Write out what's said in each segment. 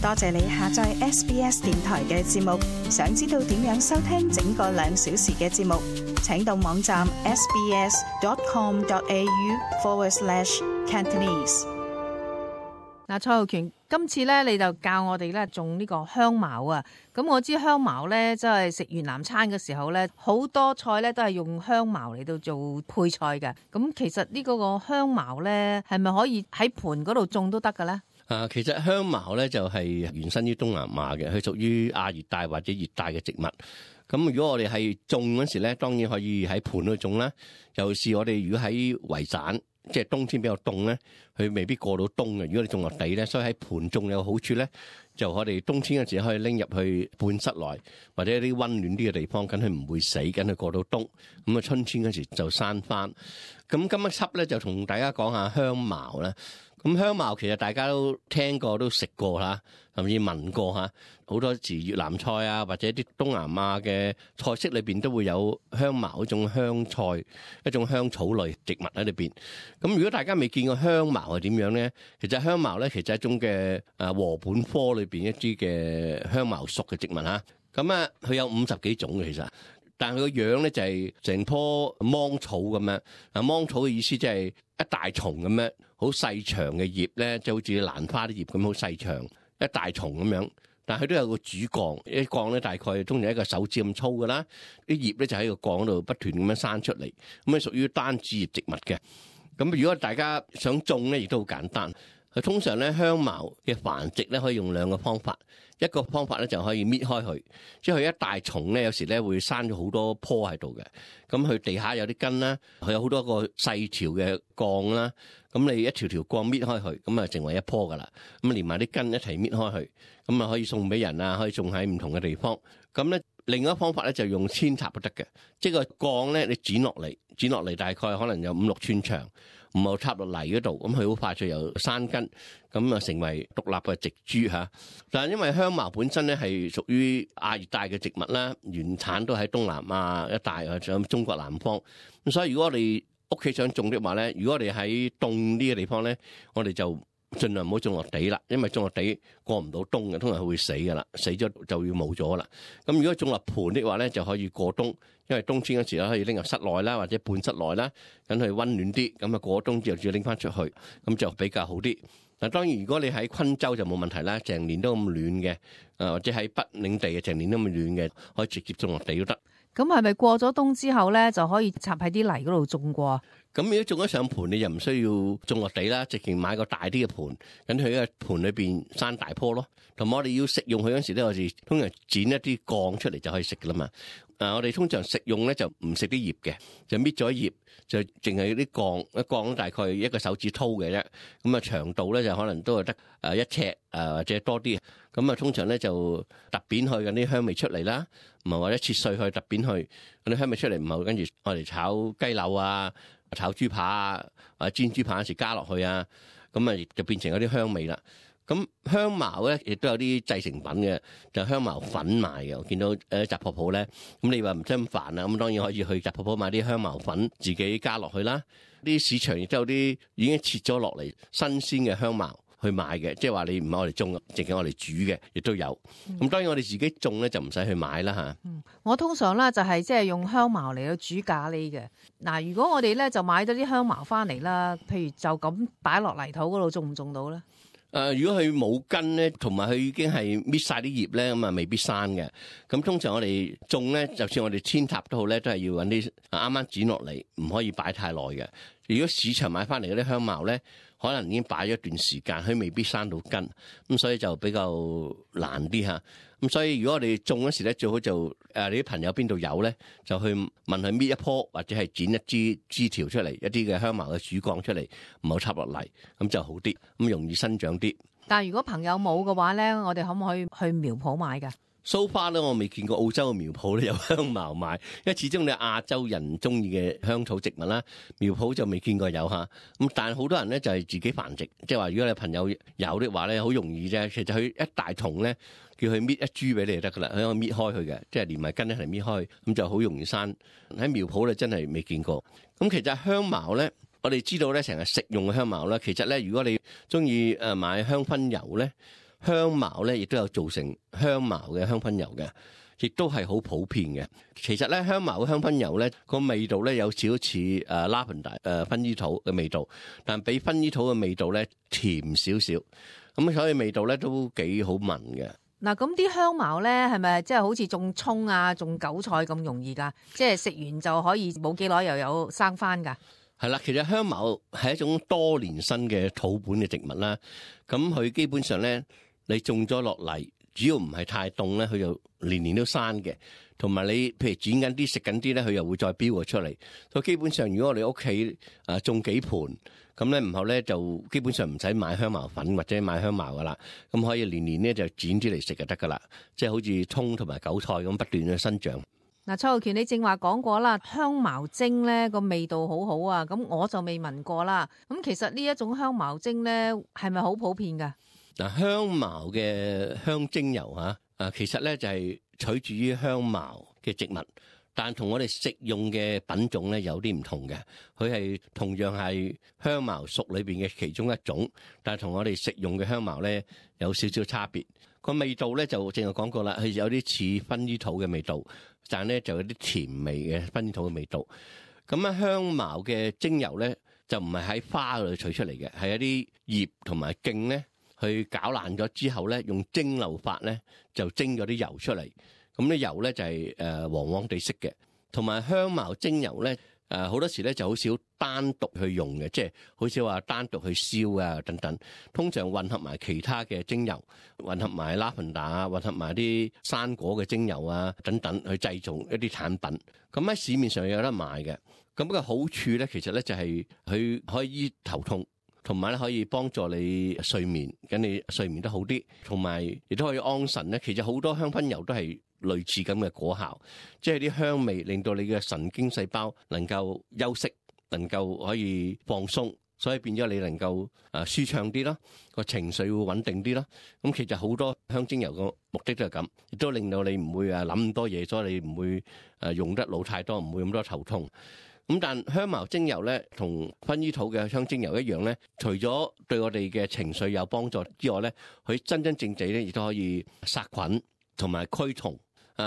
多謝你下載 SBS 電台嘅節目。想知道點樣收聽整個2小時嘅節目，請到網站 sbs.com.au/Cantonese。嗱，蔡浩權，今次咧你就教我哋咧種呢個香茅啊。咁我知香茅咧，即係食越南餐嘅時候咧，好多菜咧都係用香茅嚟到做配菜嘅。咁其實呢個香茅咧，係咪可以喺盆嗰度種都得嘅咧？其實香茅咧就係原生於東南亞嘅，佢屬於亞熱帶或者熱帶嘅植物。咁如果我哋係種嗰時咧，當然可以喺盆度種啦。尤其是我哋如果喺維省，即係冬天比較凍咧，佢未必過到冬嘅。如果你種落地咧，所以喺盆種有好處咧，就我哋冬天嗰時可以拎入去半室內或者一啲溫暖啲嘅地方，咁佢唔會死，咁佢過到冬。咁啊春天嗰時就生翻。咁今一輯咧就同大家講下香茅啦。咁香茅其實大家都聽過都食過啦，甚至聞過嚇。好多時越南菜啊，或者啲東南亞嘅菜式裏邊都會有香茅一種香菜，一種香草類植物喺裏邊。咁如果大家未見過香茅係點樣咧？其實香茅咧其實係一種嘅禾本科裏邊一啲嘅香茅屬嘅植物嚇。咁啊，佢有50幾種嘅其實。但係佢個樣咧就係成棵芒草咁樣。芒草嘅意思即係一大叢咁樣，好細長嘅葉咧，就好似蘭花啲葉咁，好細長一大叢咁樣。但係佢都有個主幹，一幹咧大概通常一個手指咁粗噶啦。啲葉咧就喺個幹度不斷咁樣生出嚟，咁啊屬於單子葉植物嘅。咁如果大家想種咧，亦都好簡單。佢通常咧香茅嘅繁殖咧可以用2個方法。一個方法咧就可以搣開佢，即係佢一大叢咧，有時咧會生咗好多棵喺度嘅。咁佢地下有啲根啦，佢有好多個細條嘅幹啦。咁你一條條幹搣開佢，咁啊成為一棵噶啦。咁連埋啲根一齊搣開佢，咁啊可以送俾人啊，可以種喺唔同嘅地方。咁咧另一個方法咧就用扦插都得嘅，即係個幹咧你剪落嚟大概可能有5-6寸長。唔好插落泥嗰度，咁佢好快就由生根，咁啊成為獨立嘅植株嚇。但係因為香茅本身咧係屬於亞熱帶嘅植物啦，原產都喺東南亞一帶或者中國南方。咁所以如果我哋屋企想種的話咧，如果我哋喺凍啲嘅地方咧，我哋就盡量唔好種落地啦，因為種落地過唔到冬嘅，通常佢會死噶啦，死咗就要冇咗啦。咁如果種落盆的話咧，就可以過冬，因為冬天嗰時咧可以拎入室內啦，或者半室內啦，咁佢溫暖啲。咁啊過冬之後要拎翻出去，咁就比較好啲。嗱當然如果你喺昆州就冇問題啦，成年都咁暖嘅，或者喺北領地嘅成年都咁暖嘅，可以直接種落地都得。咁係咪過咗冬之後咧就可以插喺啲泥嗰度種過？咁如果種咗上盆，你就唔需要種落地啦，直情買個大啲嘅盆，咁佢喺個盆裏邊生大棵咯。同埋我哋要食用佢嗰時咧，我哋通常剪一啲幹出嚟就可以食噶啦嘛。我哋通常食用咧就唔食啲葉嘅，就搣咗葉，就淨係啲幹，一幹大概一個手指粗嘅啫。咁啊長度咧就可能都係得1尺或者多啲。咁啊通常咧就揼扁佢嗰啲香味出嚟啦，唔係或者切碎佢揼扁佢嗰啲香味出嚟，唔係跟住我哋炒雞柳啊、炒豬扒啊，或者煎豬扒嗰時加落去啊，咁啊就變成嗰啲香味啦。咁香茅咧亦都有啲製成品嘅，就香茅粉賣嘅。我見到雜貨鋪咧，咁你話唔使咁煩啊，咁當然可以去雜貨鋪買啲香茅粉，自己加落去啦。啲市場亦都有啲已經切咗落嚟新鮮嘅香茅去買嘅，即係話你唔係我哋種，淨係我哋煮嘅，亦都有。咁當然我哋自己種咧就唔使去買啦嚇。我通常咧就係即係用香茅嚟到煮咖喱嘅。嗱，如果我哋咧就買咗啲香茅翻嚟啦，譬如就咁擺落泥土嗰度，種唔種到咧？如果佢冇根咧，同埋佢已經係搣晒啲葉咧，咁啊未必生嘅。咁通常我哋種咧，就算我哋扦插都好咧，都係要揾啲啱啱剪落嚟，唔可以擺太耐嘅。如果市場買翻嚟嗰啲香茅咧，可能已經擺咗一段時間，佢未必生到根，咁所以就比較難啲嚇。咁所以如果我哋種嗰時咧，最好就你啲朋友邊度有咧，就去問佢搣一棵或者係剪一支枝條出嚟，一啲嘅香茅嘅主幹出嚟，唔好插落嚟，咁就好啲，咁容易生長啲。但係如果朋友冇嘅話咧，我哋可唔可以去苗圃買㗎？So far 咧，我未見過澳洲嘅苗圃咧有香茅賣，因為始終你亞洲人中意嘅香草植物啦，苗圃就未見過有嚇。咁但係好多人咧就係自己繁殖，即係話如果你朋友有的話咧，好容易啫。其實佢一大叢咧，叫佢搣一株俾你就得噶啦，佢可以搣開佢嘅，即係連埋根一齊搣開，咁就好容易生。喺苗圃咧真係未見過。咁其實香茅咧，我哋知道咧成日食用嘅香茅咧，其實咧如果你中意買香薰油咧。香茅咧亦都有做成香茅嘅香薰油嘅，亦都係好普遍嘅。其實咧，香茅嘅香薰油咧個味道咧有少少似lavender 薰衣草嘅味道，但比薰衣草嘅味道咧甜少少，咁所以味道咧都幾好聞嘅。嗱，咁啲香茅咧係咪即係好似種葱啊、種韭菜咁容易㗎？即係食完就可以冇幾耐又有生返㗎？係啦，其實香茅係一種多年生嘅土本嘅植物啦。咁佢基本上咧，你種咗落嚟，只要唔係太凍咧，佢就年年都生嘅。同埋你譬如剪緊啲食緊啲咧，佢又會再飆出嚟。所以基本上，如果我哋屋企種幾盆，咁咧唔後咧就基本上唔使買香茅粉或者買香茅噶啦，咁可以年年咧就剪啲嚟食就得噶啦。即係好似蔥同埋韭菜咁不斷嘅生長。嗱，蔡浩權你正話講過啦，香茅精咧個味道好好啊，咁我就未聞過啦。咁其實呢一種香茅精咧係咪好普遍㗎？嗱，香茅嘅香精油其實咧就係取自於香茅嘅植物，但同我哋食用嘅品種咧有啲唔同嘅。佢係同樣係香茅屬裏邊嘅其中一種，但係同我哋食用嘅香茅咧有少少差別。個味道咧就正係講過啦，係有啲似薰衣草嘅味道，但係咧就有啲甜味嘅薰衣草嘅味道。咁啊，香茅嘅精油咧就唔係喺花嗰度取出嚟嘅，係一啲葉同埋莖咧去攪爛咗之後咧，用蒸餾法咧就蒸咗啲油出嚟。咁啲油咧就係黃黃地色嘅，同埋香茅精油咧好多時咧就好少單獨去用嘅，即係好少話單獨去燒啊等等。通常混合埋其他嘅精油，混合埋 lavender 混合埋啲生果嘅精油啊等等，去製造一啲產品。咁喺市面上有得賣嘅。咁個好處咧，其實咧就係佢可以醫頭痛，同埋咧可以幫助你睡眠，咁你睡眠得好啲，同埋亦都可以安神咧。其實好多香薰油都係類似咁嘅果效，即係啲香味令到你嘅神經細胞能夠休息，能夠可以放鬆，所以變咗你能夠舒暢啲啦，個情緒會穩定啲啦。咁其實好多香精油個目的都係咁，亦都令到你唔會諗咁多嘢，所以你唔會用得腦太多，唔會咁多頭痛。咁但香茅精油咧，同薰衣草嘅香精油一樣咧，除咗對我哋嘅情緒有幫助之外咧，佢真真正正咧亦都可以殺菌同埋驅蟲。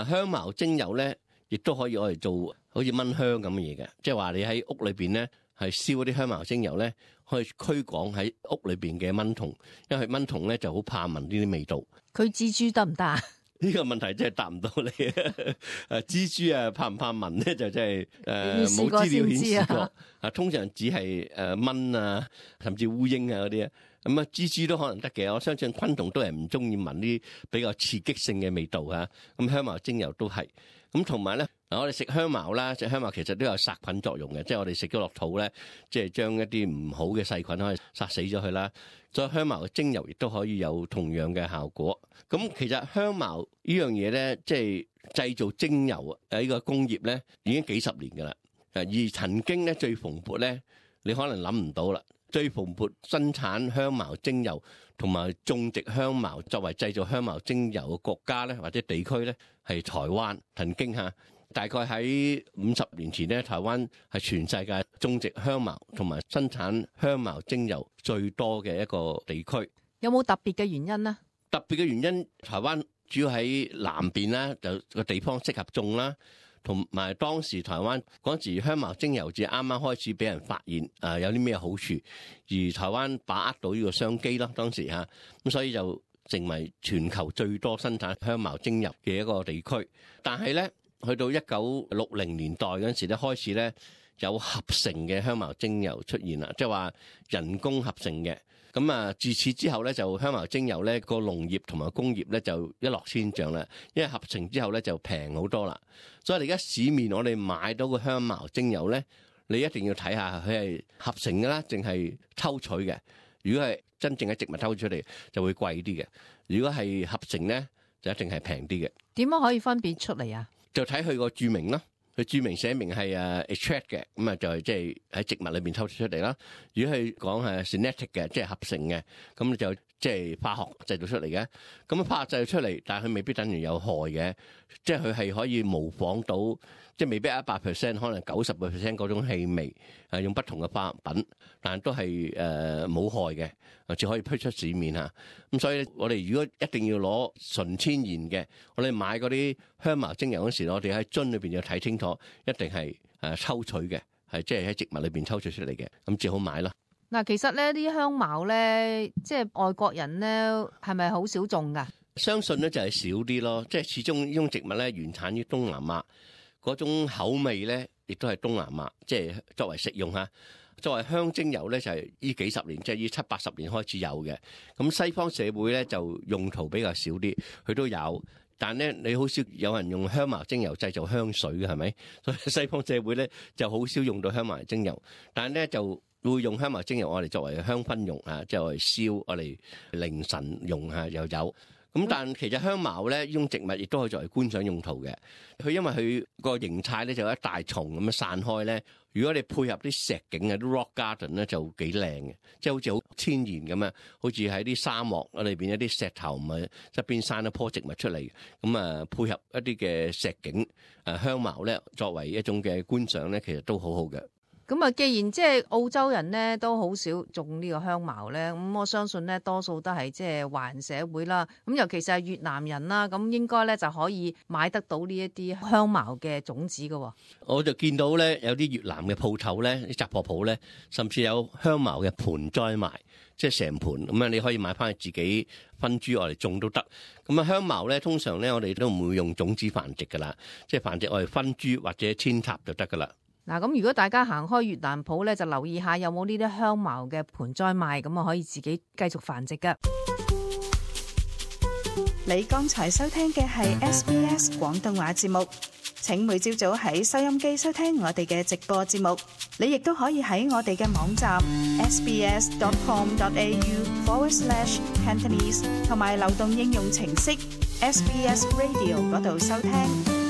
香茅精油咧，亦都可以攞嚟做好似蚊香咁嘅嘢嘅，即係話你喺屋裏邊咧係燒嗰啲香茅精油咧，可以驅趕喺屋裏邊嘅蚊蟲，因為蚊蟲咧就好怕聞呢啲味道。佢蜘蛛得唔得啊？呢個問題真係答唔到你。蜘蛛怕唔怕聞咧？就真係冇資料顯示過。通常只係蚊啊，甚至烏蠅啊嗰啲啊。咁啊，蜘蛛都可能得嘅。我相信昆蟲都係唔中意聞啲比較刺激性嘅味道啊。咁香茅精油都係。咁同埋咧，我哋食香茅啦，食香茅其實都有殺菌作用嘅，即係我哋食咗落肚咧，即係將一啲唔好嘅細菌可以殺死咗佢啦。所以香茅嘅精油亦都可以有同樣嘅效果。咁其實香茅呢樣嘢咧，即係製造精油呢個工業咧，已經幾十年㗎啦。而曾經咧最蓬勃咧，你可能諗唔到啦。最蓬勃生產香茅精油同埋種植香茅作為製造香茅精油嘅國家咧，或者地區咧，係台灣。曾經大概喺50年前咧，台灣係全世界種植香茅同埋生產香茅精油最多嘅一個地區。有冇特別嘅原因呢？特別嘅原因，台灣主要喺南邊啦，就個地方適合種啦。同埋當時台灣嗰時香茅精油至啱啱開始俾人發現，有啲咩好處，而台灣把握到呢個商機啦，當時咁所以就成為全球最多生產香茅精油嘅一個地區。但係咧，去到1960年代嗰陣時咧，開始咧有合成嘅香茅精油出現啦，即係話人工合成嘅。咁自此之後咧，就香茅精油咧個農業同埋工業咧就一落千丈啦，因為合成之後咧就平好多啦。所以你而家市面我哋買到個香茅精油咧，你一定要睇下佢係合成嘅啦，定係抽取嘅。如果係真正嘅植物抽出嚟，就會貴啲嘅；如果係合成咧，就一定係平啲嘅。點樣可以分別出嚟啊？就睇佢個註明啦。佢註明寫明係extract 嘅，咁啊就係即係喺植物裏邊抽出嚟啦。如果係講係 genetic 嘅，即係合成嘅，咁就即係化學製造出嚟嘅。咁化學製造出嚟，但係佢未必等於有害嘅，即係佢係可以模仿到，即係未必100%，可能90% 嗰種氣味，用不同嘅化學品，但係都係冇害嘅，只可以推出市面嚇。咁所以我哋如果一定要攞純天然嘅，我哋買嗰啲香茅精油嗰時，我哋喺樽裏邊要睇清楚，一定係抽取嘅，係即係喺植物裏邊抽取出嚟嘅，咁至好買咯。嗱，其實咧啲香茅咧，即係外國人咧，係咪好少種㗎？相信咧就係少啲咯，即係始終呢種植物咧原產於東南亞，嗰種口味咧亦都係東南亞，即係作為食用嚇。作為香精油咧就係呢幾十年，即係呢70-80年開始有嘅。咁西方社會咧就用途比較少啲，佢都有。但咧，你好少有人用香茅精油製造香水嘅，係咪？所以西方社會咧就好少用到香茅精油，但係咧就會用香茅精油我哋作為香薰用啊，即係我哋燒，我哋凌晨用下又有。咁但其實香茅咧，呢種植物亦都可以作為觀賞用途嘅。佢因為佢個形態咧就有一大叢咁樣散開咧。如果你配合啲石景啊，啲 rock garden 咧就幾靚嘅，即係好似好天然咁啊，好似喺啲沙漠裏邊一啲石頭咪側邊生一棵植物出嚟，咁啊配合一啲嘅石景，香茅咧作為一種嘅觀賞咧，其實都好好嘅。咁啊，既然即係澳洲人咧都好少種呢個香茅咧，咁我相信咧多數都係即係華人社會啦。咁尤其是係越南人啦，咁應該咧就可以買得到呢一啲香茅嘅種子㗎。我就見到咧有啲越南嘅鋪頭咧，啲雜貨鋪咧，甚至有香茅嘅盆栽賣，即係成盆咁樣，你可以買翻去自己分株我哋種都得。咁啊香茅咧，通常咧我哋都唔會用種子繁殖噶啦，即係繁殖我哋分株或者扦插就得噶啦。嗱，咁如果大家行開越南鋪咧，就留意下有冇呢啲香茅嘅盆栽賣，咁啊可以自己繼續繁殖噶。你剛才收聽嘅係 SBS 廣東話節目，請每朝早喺收音機收聽我哋嘅直播節目。你亦都可以喺我哋嘅網站 sbs.com.au/Cantonese 同埋流動應用程式 SBS Radio 嗰度收聽。